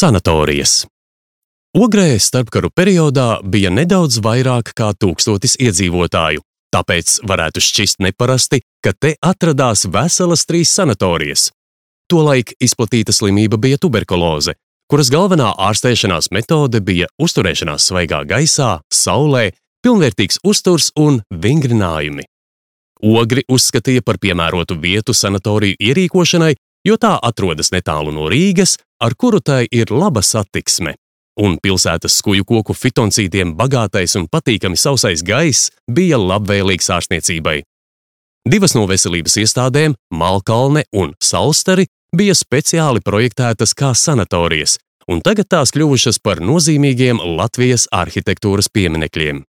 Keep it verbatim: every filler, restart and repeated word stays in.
Sanatorijas. Ogrē starpkaru periodā bija nedaudz vairāk kā tūkstotis iedzīvotāju, tāpēc varētu šķist neparasti, ka te atradās veselas trīs sanatorijas. Tolaik izplatīta slimība bija tuberkuloze, kuras galvenā ārstēšanās metode bija uzturēšanās svaigā gaisā, saulē, pilnvērtīgs uzturs un vingrinājumi. Ogri uzskatīja par piemērotu vietu sanatoriju ierīkošanai, jo tā atrodas netālu no Rīgas, ar kuru tai ir laba satiksme. Un pilsētas skuju koku fitoncītiem bagātais un patīkami sausais gaiss bija labvēlīgs ārstniecībai. Divas no veselības iestādēm, Malkalne un Salstari, bija speciāli projektētas kā sanatorijas, un tagad tās kļuvušas par nozīmīgiem Latvijas arhitektūras pieminekļiem.